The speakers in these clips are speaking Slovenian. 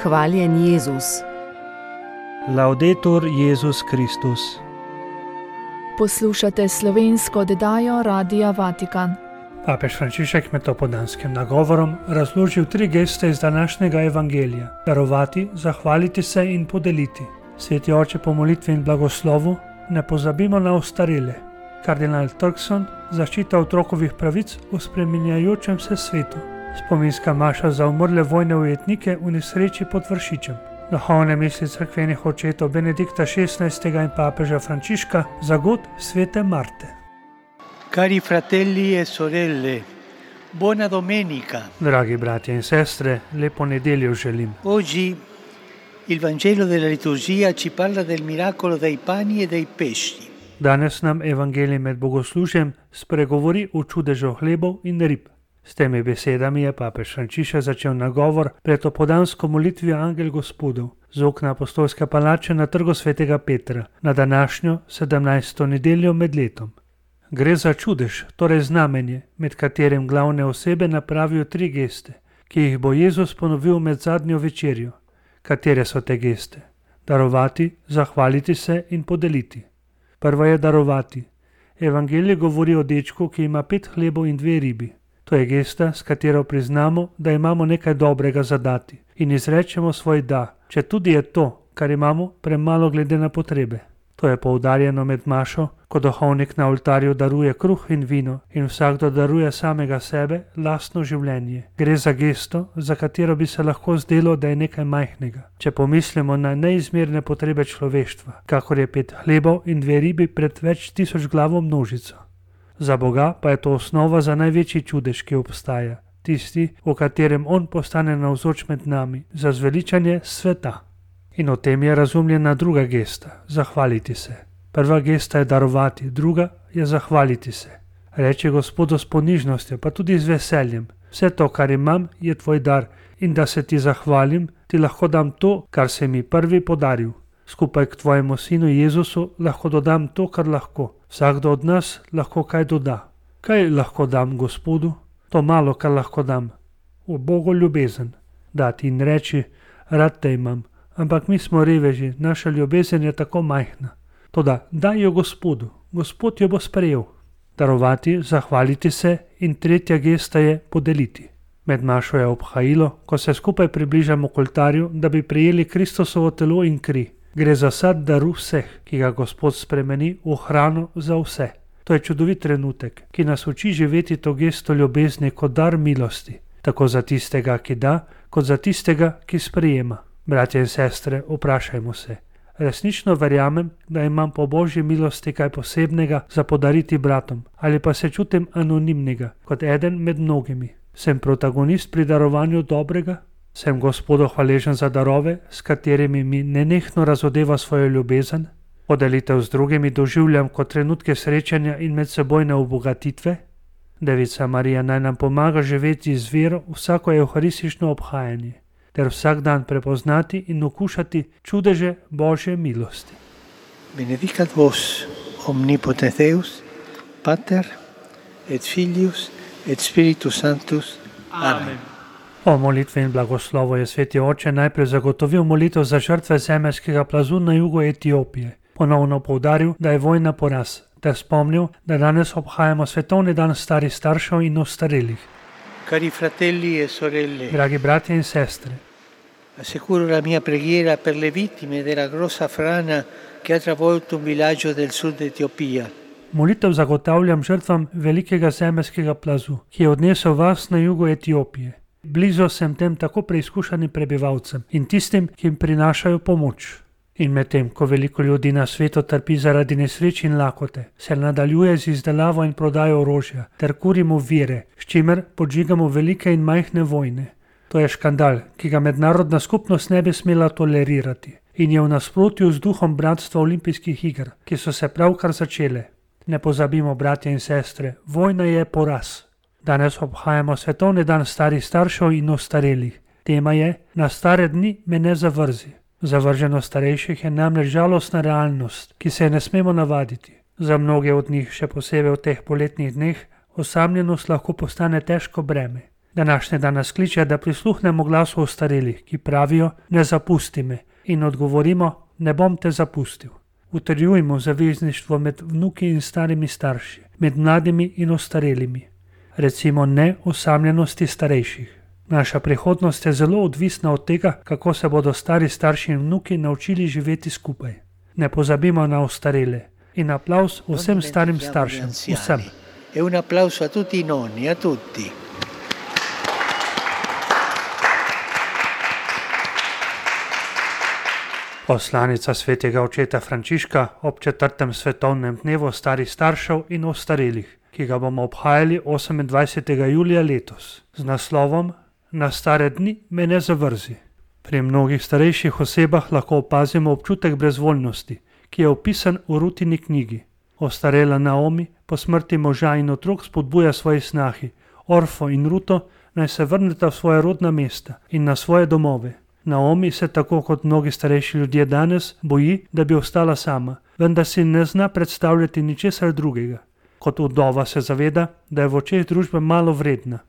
Hvaljen Jezus. Laudetur Jezus Kristus. Poslušate slovensko oddajo Radia Vatikan. Papež Frančišek med dopoldanskim nagovorom razložil 3 geste iz današnjega evangelija: darovati, zahvaliti se in podeliti. Sveti oče po molitvi in blagoslovu: ne pozabimo na ostarele. Kardinal Turkson: zaščita otrokovih pravic v spreminjajočem se svetu. Spominska maša za umrle vojne ujetnike v nesreči pod Vršičem. Duhovne misli cerkvenih očetov Benedikta XVI. In papeža Frančiška za god svete Marte. Cari fratelli e sorelle, buona domenica. Dragi bratje in sestre, lepo nedeljo želim. Oggi il Vangelo della liturgia ci parla del miracolo dei pani e dei pesci. Danes nam evangelij med bogoslužjem spregovori o čudežu hlebov in rib. S temi besedami je papež Frančišek začel nagovor pred opoldansko molitvijo Angel Gospodov z okna apostolske palače na trgu svetega Petra na današnjo 17. nedeljo med letom. Gre za čudež, torej znamenje, med katerim glavne osebe napravijo 3 geste, ki jih bo Jezus ponovil med zadnjo večerjo. Katere so te geste? Darovati, zahvaliti se in podeliti. Prva je darovati. Evangelij govori o dečku, ki ima 5 hlebov in 2 ribi. To je gesta, s katero priznamo, da imamo nekaj dobrega za dati in izrečemo svoj da, če tudi je to, kar imamo, premalo glede na potrebe. To je poudarjeno med mašo, ko duhovnik na oltarju daruje kruh in vino in vsakdo daruje samega sebe, lastno življenje. Gre za gesto, za katero bi se lahko zdelo, da je nekaj majhnega, če pomislimo na neizmerne potrebe človeštva, kakor je 5 hlebov in 2 ribi pred več tisoč glavo množico. Za Boga pa je to osnova za največji čudež, ki obstaja, tisti, v katerem On postane navzoč med nami, za zveličanje sveta. In o tem je razumljena druga gesta, zahvaliti se. Prva gesta je darovati, druga je zahvaliti se. Reči Gospodu s ponižnostjo, pa tudi z veseljem: vse to, kar imam, je tvoj dar in da se ti zahvalim, ti lahko dam to, kar si mi prvi podaril. Skupaj k tvojemu sinu Jezusu lahko dodam to, kar lahko. Vsakdo od nas lahko kaj doda. Kaj lahko dam Gospodu? To malo, kar lahko dam. V Bogu ljubezen. Dati in reči: rad te imam. Ampak mi smo reveži, naša ljubezen je tako majhna. Toda daj jo Gospodu, Gospod jo bo sprejel. Darovati, zahvaliti se in tretja gesta je podeliti. Med mašo je obhajilo, ko se skupaj približamo k oltarju, da bi prejeli Kristusovo telo in kri. Gre za sad daru vseh, ki ga Gospod spremeni v hrano za vse. To je čudovit trenutek, ki nas uči živeti to gesto ljubezni kot dar milosti, tako za tistega, ki da, kot za tistega, ki sprejema. Bratje in sestre, vprašajmo se: resnično verjamem, da imam po Božji milosti kaj posebnega za podariti bratom, ali pa se čutim anonimnega, kot eden med mnogimi? Sem protagonist pri darovanju dobrega? Sem Gospodu hvaležen za darove, s katerimi mi nenehno razodeva svojo ljubezen? Podelitev z drugimi doživljam kot trenutke srečanja in medsebojne obogatitve? Devica Marija naj nam pomaga živeti z vero vsako evharistično obhajanje, ter vsak dan prepoznati in okušati čudeže Božje milosti. Benedicat vos omnipotens Deus, Pater et Filius et Spiritus Sanctus. Amen. Po molitvi in blagoslovu je sveti oče najprej zagotovil molitev za žrtve zemeljskega plazu na jugu Etiopije. Ponovno poudaril, da je vojna poraz, ter spomnil, da danes obhajamo svetovni dan starih staršev in ostarelih. Cari fratelli e sorelle, Dragi bratje in sestre, assicuro la mia preghiera per le vittime della grossa frana che ha travolto un villaggio del sud Etiopia. molitev zagotavljam žrtvam velikega zemeljskega plazu, ki je odnesel vas na jugu Etiopije. Blizu sem tem tako preizkušanim prebivalcem in tistim, ki jim prinašajo pomoč. In medtem, ko veliko ljudi na svetu trpi zaradi nesreč in lakote, se nadaljuje z izdelavo in prodajo orožja ter kurimo vire, s čimer podžigamo velike in majhne vojne. To je škandal, ki ga mednarodna skupnost ne bi smela tolerirati in je v nasprotju z duhom bratstva olimpijskih iger, ki so se pravkar začele. Ne pozabimo, bratje in sestre, vojna je poraz. Danes obhajamo svetovni dan starih staršev in ostarelih. Tema je: na stare dni me ne zavrzi. Zavrženost starejših je namreč žalostna realnost, ki se je ne smemo navaditi. Za mnoge od njih, še posebej v teh poletnih dneh, osamljenost lahko postane težko breme. Današnji dan nas kliče, da prisluhnemo glasu ostarelih, ki pravijo: ne zapusti me, in odgovorimo: ne bom te zapustil. Utrjujmo zavezništvo med vnuki in starimi starši, med mladimi in ostarelimi. Recimo ne osamljenosti starejših. Naša prihodnost je zelo odvisna od tega, kako se bodo stari starši in vnuki naučili živeti skupaj. Ne pozabimo na ostarele. In aplavz vsem starim staršem, vsem. E un applauso a tutti i nonni, a tutti. Poslanica svetega očeta Frančiška ob 4. svetovnem dnevu starih staršev in ostarelih, ki ga bomo obhajali 28. julija letos, z naslovom Na stare dni me ne zavrzi. Pri mnogih starejših osebah lahko opazimo občutek brezvoljnosti, ki je opisan v Rutini knjigi. Ostarela Naomi po smrti moža in otrok spodbuja svoji snahi, Orfo in Ruto, naj se vrneta v svoje rodna mesta in na svoje domove. Naomi se tako kot mnogi starejši ljudje danes boji, da bi ostala sama, vendar si ne zna predstavljati ničesar drugega. Kot vdova se zaveda, da je v očeh družbe malo vredna.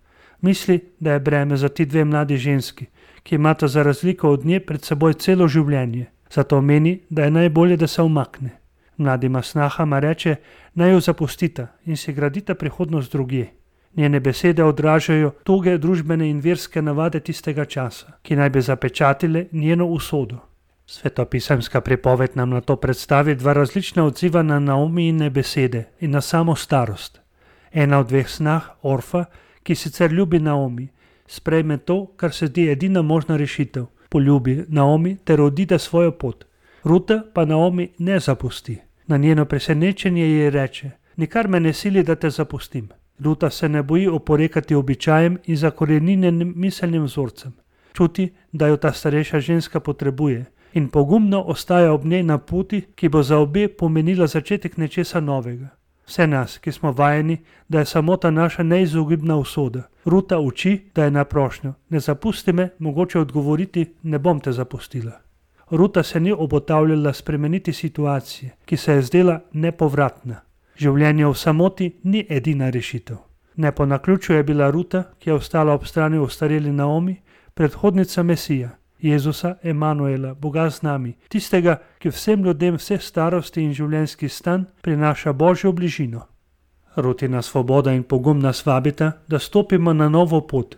Misli, da je breme za ti dve mladi ženski, ki imata za razliko od nje pred seboj celo življenje. Zato meni, da je najbolje, da se umakne. Mladima snahama reče, naj jo zapustita in si gradita prihodnost drugje. Njene besede odražajo toge družbene in verske navade tistega časa, ki naj bi zapečatile njeno usodo. Svetopisemska pripoved nam na to predstavi dva različna odziva na Naomijine besede in na samo starost. Ena od dveh snah, Orfa, ki sicer ljubi Naomi, sprejme to, kar se zdi edina možna rešitev. Poljubi Naomi ter odide svojo pot. Ruta pa Naomi ne zapusti. Na njeno presenečenje ji reče, nikar me ne sili, da te zapustim. Ruta se ne boji oporekati običajem in zakoreninjenim miselnim vzorcem. Čuti, da jo ta starejša ženska potrebuje in pogumno ostaja ob njej na poti, ki bo za obe pomenila začetek nečesa novega. Vse nas, ki smo vajeni, da je samota naša neizogibna usoda. Ruta uči, da je na prošnjo, ne zapusti me, mogoče odgovoriti, ne bom te zapustila. Ruta se ni obotavljala spremeniti situacije, ki se je zdela nepovratna. Življenje v samoti ni edina rešitev. Ne po naključju je bila Ruta, ki je ostala ob strani ostareli Naomi, predhodnica Mesija, Jezusa Emanuela, Boga z nami, tistega, ki vsem ljudem vse starosti in življenjski stan prinaša Božjo bližino. Rutina svoboda in pogum nas vabita, da stopimo na novo pot.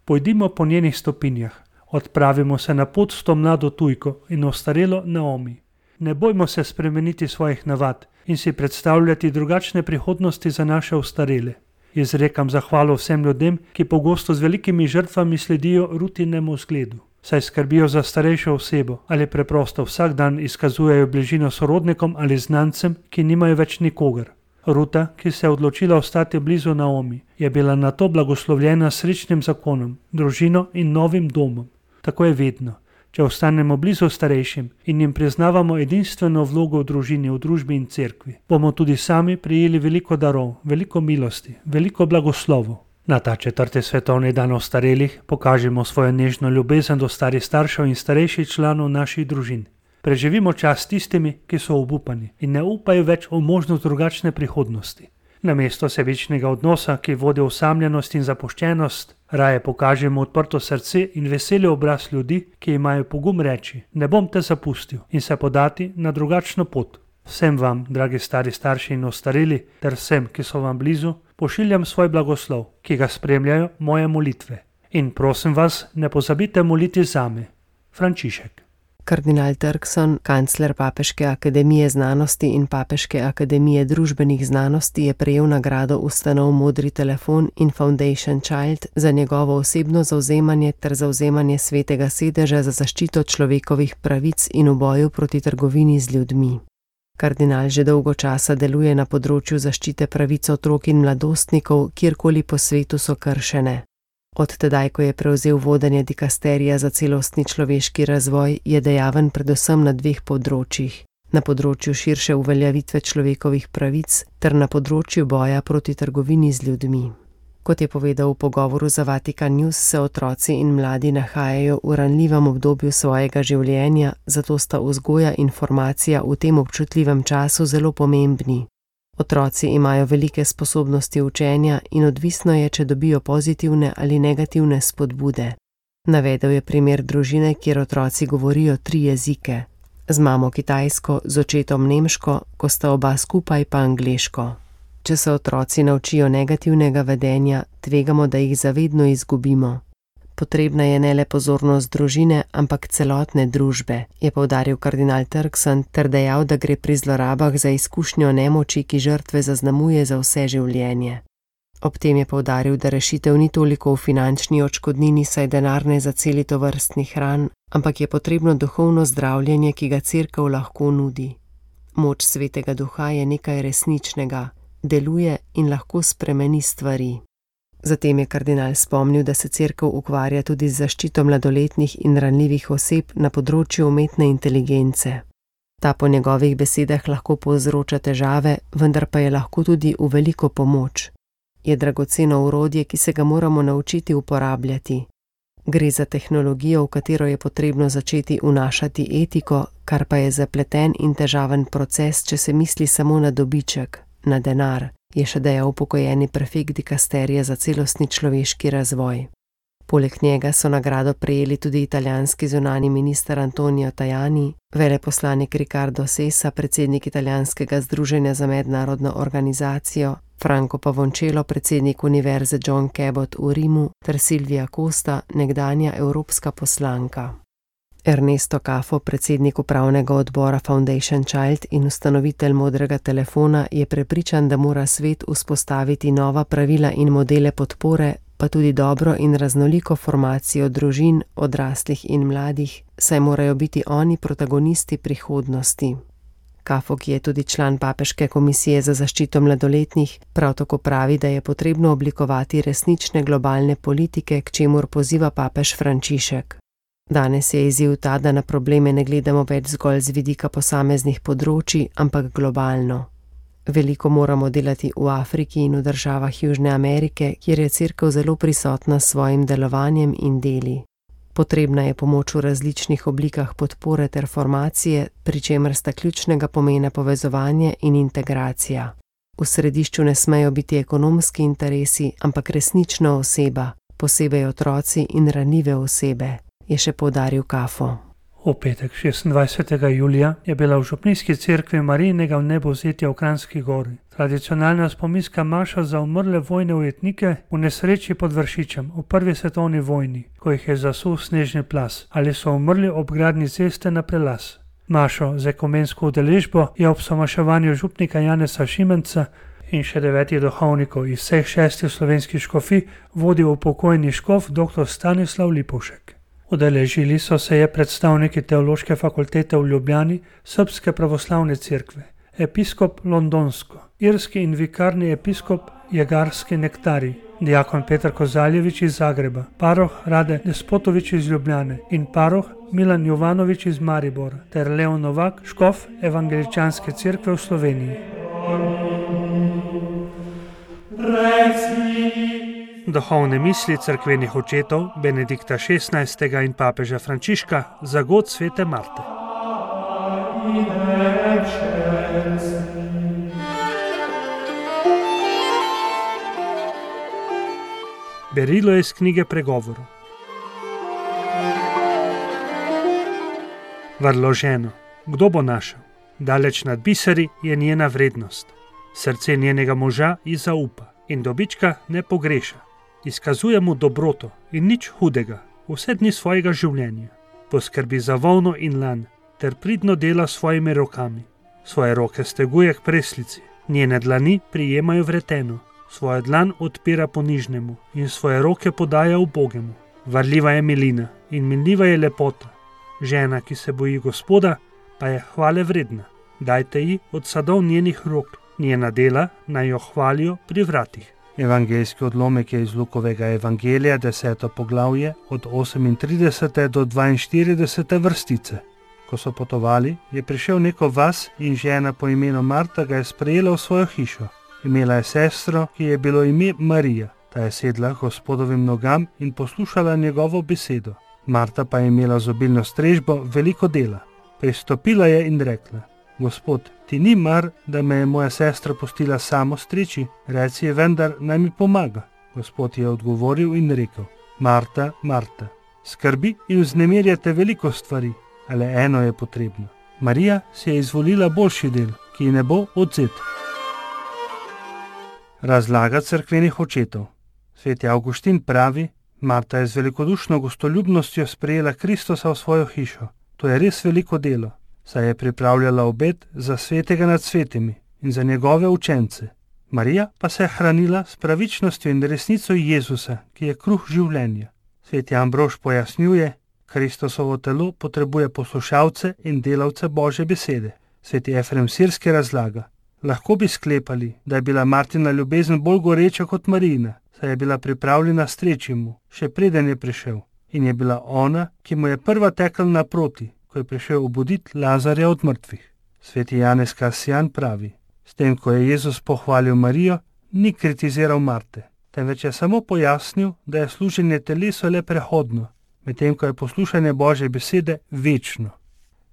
Pojdimo po njenih stopinjah, odpravimo se na pot s to mlado tujko in ostarelo Naomi. Ne bojmo se spremeniti svojih navad in si predstavljati drugačne prihodnosti za naše ostarele. Izrekam zahvalo vsem ljudem, ki pogosto z velikimi žrtvami sledijo Rutinemu zgledu. Saj skrbijo za starejšo osebo ali preprosto vsak dan izkazujejo bližino sorodnikom ali znancem, ki nimajo več nikogar. Ruta, ki se je odločila ostati blizu Naomi, je bila na to blagoslovljena s srečnim zakonom, družino in novim domom. Tako je vedno. Če ostanemo blizu starejšim in jim priznavamo edinstveno vlogo v družini, v družbi in cerkvi, bomo tudi sami prijeli veliko darov, veliko milosti, veliko blagoslovov. Na ta 4. svetovni dan ostarelih pokažemo svojo nežno ljubezen do starih staršev in starejših članov naših družin. Preživimo čas tistimi, ki so obupani in ne upajo več v možnost drugačne prihodnosti. Namesto sebičnega odnosa, ki vodi v osamljenost in zapuščenost, raje pokažemo odprto srce in veseli obraz ljudi, ki imajo pogum reči, ne bom te zapustil, in se podati na drugačno pot. Vsem vam, dragi stari starši in ostareli, ter vsem, ki so vam blizu, pošiljam svoj blagoslov, ki ga spremljajo moje molitve. In prosim vas, ne pozabite moliti zame. Frančišek. Kardinal Turkson, kancler Papeške akademije znanosti in Papeške akademije družbenih znanosti, je prejel nagrado ustanov Modri telefon in Foundation Child za njegovo osebno zavzemanje ter zavzemanje Svetega sedeža za zaščito človekovih pravic in v boju proti trgovini z ljudmi. Kardinal že dolgo časa deluje na področju zaščite pravic otrok in mladostnikov, kjerkoli po svetu so kršene. Od tedaj, ko je prevzel vodenje dikasterija za celostni človeški razvoj, je dejaven predvsem na dveh področjih. Na področju širše uveljavitve človekovih pravic ter na področju boja proti trgovini z ljudmi. Kot je povedal v pogovoru za Vatikan News, se otroci in mladi nahajajo v ranljivem obdobju svojega življenja, zato sta vzgoja in formacija v tem občutljivem času zelo pomembni. Otroci imajo velike sposobnosti učenja in odvisno je, če dobijo pozitivne ali negativne spodbude. Navedel je primer družine, kjer otroci govorijo 3 jezike. Z mamo kitajsko, z očetom nemško, ko sta oba skupaj pa angleško. Če se otroci naučijo negativnega vedenja, tvegamo, da jih zavedno izgubimo. Potrebna je ne le pozornost družine, ampak celotne družbe, je poudaril kardinal Turkson ter dejal, da gre pri zlorabah za izkušnjo nemoči, ki žrtve zaznamuje za vse življenje. Ob tem je poudaril, da rešitev ni toliko v finančni odškodnini, saj denar ne zaceli tovrstnih ran, ampak je potrebno duhovno zdravljenje, ki ga Cerkev lahko nudi. Moč Svetega Duha je nekaj resničnega, deluje in lahko spremeni stvari. Zatem je kardinal spomnil, da se Cerkev ukvarja tudi z zaščito mladoletnih in ranljivih oseb na področju umetne inteligence. Ta po njegovih besedah lahko povzroča težave, vendar pa je lahko tudi v veliko pomoč. Je dragoceno orodje, ki se ga moramo naučiti uporabljati. Gre za tehnologijo, v katero je potrebno začeti vnašati etiko, kar pa je zapleten in težaven proces, če se misli samo na dobiček, na denar, je še dejal upokojeni prefekt dikasterije za celostni človeški razvoj. Poleg njega so nagrado prejeli tudi italijanski zunanji minister Antonio Tajani, veleposlanik Riccardo Sessa, predsednik italijanskega združenja za mednarodno organizacijo, Franco Pavoncello, predsednik univerze John Cabot v Rimu, ter Silvia Costa, nekdanja evropska poslanka. Ernesto Cafo, predsednik upravnega odbora Foundation Child in ustanovitelj Modrega telefona, je prepričan, da mora svet vzpostaviti nova pravila in modele podpore, pa tudi dobro in raznoliko formacijo družin, odraslih in mladih, saj morajo biti oni protagonisti prihodnosti. Cafo, ki je tudi član Papeške komisije za zaščito mladoletnih, prav tako pravi, da je potrebno oblikovati resnične globalne politike, k čemur poziva papež Frančišek. Danes je izziv ta, da na probleme ne gledamo več zgolj z vidika posameznih področij, ampak globalno. Veliko moramo delati v Afriki in v državah Južne Amerike, kjer je Cerkev zelo prisotna s svojim delovanjem in deli. Potrebna je pomoč v različnih oblikah podpore ter formacije, pri čemer sta ključnega pomena povezovanje in integracija. V središču ne smejo biti ekonomski interesi, ampak resnična oseba, posebej otroci in ranljive osebe, je še poudaril Cafo. V petek 26. julija je bila v župnijski cerkvi Marijinega vnebovzetja v Kranjski Gori tradicionalna spominska maša za umrle vojne ujetnike v nesreči pod Vršičem v prvi svetovni vojni, ko jih je zasul snežni plaz ali so umrli ob gradnji ceste na prelaz. Mašo z ekumensko udeležbo je ob somaševanju župnika Janeza Šimenca in še 9 duhovnikov iz vseh 6 slovenskih škofij vodil upokojeni škof dr. Stanislav Lipovšek. Udeležili so se je predstavniki Teološke fakultete v Ljubljani, Srbske pravoslavne cerkve, episkop Londonsko, irski in vikarni episkop Jegarski Nektari, diakon Petar Kozaljevič iz Zagreba, paroh Rade Despotovič iz Ljubljane in paroh Milan Jovanovič iz Maribora ter Leon Novak, škof Evangeličanske cerkve v Sloveniji. Duhovne misli cerkvenih očetov Benedikta XVI. In papeža Frančiška za god svete Marte. Berilo je iz knjige Pregovorov. Vrlo ženo, kdo bo našel? Daleč nad biseri je njena vrednost. Srce njenega moža ji zaupa in dobička ne pogreša. Izkazuje mu dobroto in nič hudega vse dni svojega življenja. Poskrbi za volno in lan ter pridno dela svojimi rokami. Svoje roke steguje k preslici, njene dlani prijemajo vreteno, svojo dlan odpira ponižnemu in svoje roke podaja ubogemu. Varljiva je milina in minljiva je lepota. Žena, ki se boji Gospoda, pa je hvale vredna. Dajte ji od sadov njenih rok, njena dela naj jo hvalijo pri vratih. Evangeljski odlomek je iz Lukovega evangelija, 10. poglavje, od 38. do 42. vrstice. Ko so potovali, je prišel neko vas in žena po imenu Marta ga je sprejela v svojo hišo. Imela je sestro, ki je bilo ime Marija. Ta je sedla Gospodovim nogam in poslušala njegovo besedo. Marta pa je imela z obilno strežbo veliko dela. Pristopila je in rekla: Gospod, ti ni mar, da me je moja sestra pustila samo streči, reci ji vendar, naj mi pomaga. Gospod je odgovoril in rekel: Marta, Marta, skrbi in vznemirjate veliko stvari, ale eno je potrebno. Marija si je izvolila boljši del, ki ji ne bo odvzet. Razlaga cerkvenih očetov. Sveti Avguštin pravi: Marta je z velikodušno gostoljubnostjo sprejela Kristusa v svojo hišo. To je res veliko delo, saj je pripravljala obed za svetega nad svetimi in za njegove učence. Marija pa se je hranila s pravičnostjo in resnico Jezusa, ki je kruh življenja. Sveti Ambrož pojasnjuje: Kristusovo telo potrebuje poslušalce in delavce Božje besede. Sveti Efrem Sirski razlaga: Lahko bi sklepali, da je bila Martina ljubezen bolj goreča kot Marijina, saj je bila pripravljena streči mu, še preden je prišel, in je bila ona, ki mu je prva tekla naproti, ko je prišel obuditi Lazarja od mrtvih. Sveti Janez Kasijan pravi: S tem, ko je Jezus pohvalil Marijo, ni kritiziral Marte, temveč je samo pojasnil, da je služenje telesu le prehodno, medtem ko je poslušanje Božje besede večno.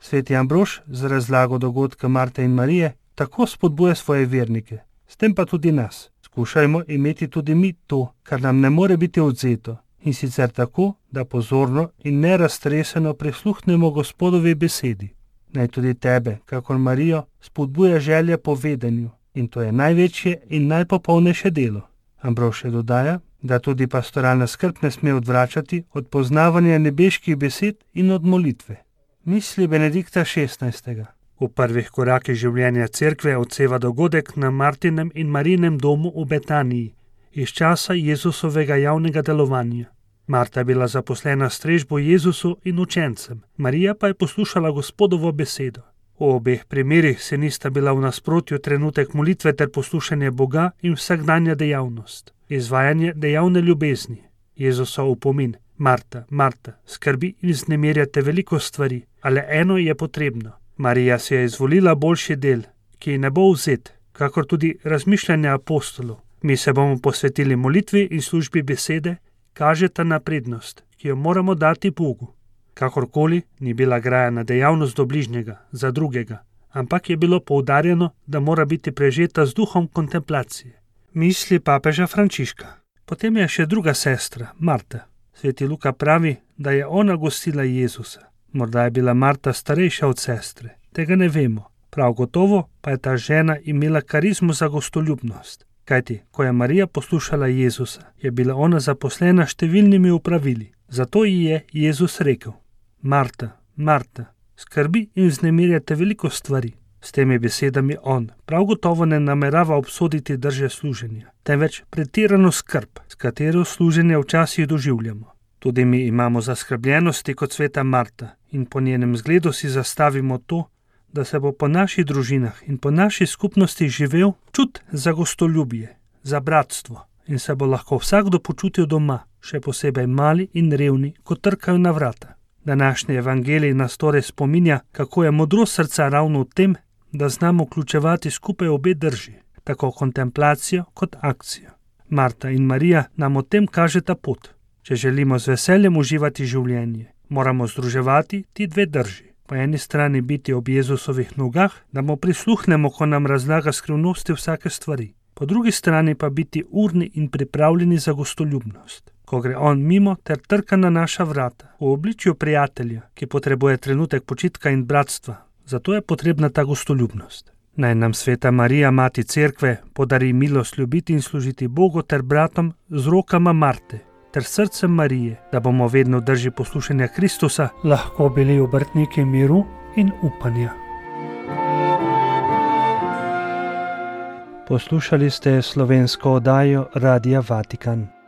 Sveti Ambrož z razlago dogodka Marte in Marije tako spodbuja svoje vernike, s tem pa tudi nas. Skušajmo imeti tudi mi to, kar nam ne more biti odvzeto, in sicer tako, da pozorno in neraztreseno prisluhnemo Gospodovi besedi. Naj tudi tebe, kakor Marijo, spodbuja želja po vedenju, in to je največje in najpopolnejše delo. Ambrož dodaja, da tudi pastoralna skrb ne sme odvračati od poznavanja nebeških besed in od molitve. Misli Benedikta XVI. V prvih korakih življenja cerkve odseva dogodek na Martinem in Marijinem domu v Betaniji, iz časa Jezusovega javnega delovanja. Marta je bila zaposlena s strežbo Jezusu in učencem, Marija pa je poslušala Gospodovo besedo. V obeh primerih se nista bila v nasprotju trenutek molitve ter poslušanje Boga in vsakdanja dejavnost, izvajanje dejavne ljubezni. Jezusov opomin: Marta, Marta, skrbi in vznemirjate veliko stvari, ale eno je potrebno. Marija si je izvolila boljši del, ki ji ne bo vzet, kakor tudi razmišljanja apostolov. Mi se bomo posvetili molitvi in službi besede, kažeta na prednost, ki jo moramo dati Bogu. Kakorkoli ni bila grajena dejavnost do bližnjega, za drugega, ampak je bilo poudarjeno, da mora biti prežeta z duhom kontemplacije. Misli papeža Frančiška. Potem je še druga sestra, Marta. Sveti Luka pravi, da je ona gostila Jezusa. Morda je bila Marta starejša od sestre, tega ne vemo. Prav gotovo pa je ta žena imela karizmo za gostoljubnost. Kajti, ko je Marija poslušala Jezusa, je bila ona zaposlena številnimi opravili. Zato ji je Jezus rekel: Marta, Marta, skrbi in vznemirjate veliko stvari. S temi besedami on prav gotovo ne namerava obsoditi drže služenja, temveč pretirano skrb, s katero služenje včasih doživljamo. Tudi mi imamo zaskrbljenosti kot sveta Marta in po njenem zgledu si zastavimo to, da se bo po naših družinah in po naši skupnosti živel čut za gostoljubje, za bratstvo in se bo lahko vsakdo počutil doma, še posebej mali in revni, ko trkajo na vrata. Današnji evangelij nas torej spominja, kako je modrost srca ravno v tem, da znamo vključevati skupaj obe drži, tako kontemplacijo kot akcijo. Marta in Marija nam o tem kažeta pot. Če želimo z veseljem uživati življenje, moramo združevati ti dve drži. Po eni strani biti ob Jezusovih nogah, da mu prisluhnemo, ko nam razlaga skrivnosti vsake stvari. Po drugi strani pa biti urni in pripravljeni za gostoljubnost, ko gre on mimo ter trka na naša vrata, v obličju prijatelja, ki potrebuje trenutek počitka in bratstva. Zato je potrebna ta gostoljubnost. Naj nam sveta Marija, mati cerkve, podari milost ljubiti in služiti Bogu ter bratom z rokama Marte ter srcem Marije, da bomo vedno v drži poslušanja Kristusa lahko bili obrtniki miru in upanja. Poslušali ste slovensko oddajo Radia Vatikan.